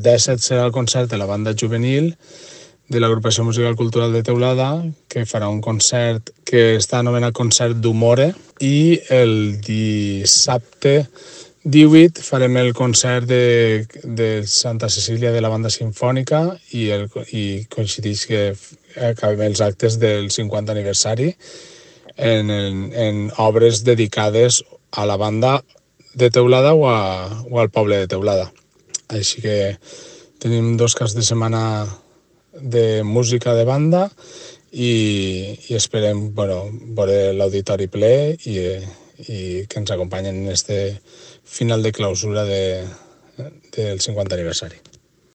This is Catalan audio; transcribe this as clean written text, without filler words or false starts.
17 serà el concert de la banda juvenil de l'Agrupació Musical Cultural de Teulada, que farà un concert que està anomenat Concert d'Humore, i el dissabte 18 farem el concert de Santa Cecília de la banda sinfònica i coincideix que acabem els actes del 50 aniversari en obres dedicades a la banda de Teulada o al poble de Teulada. Així que tenim 2 caps de setmana de música de banda i esperem veure l'auditori ple i que ens acompanyen en este final de clausura del 50 aniversari.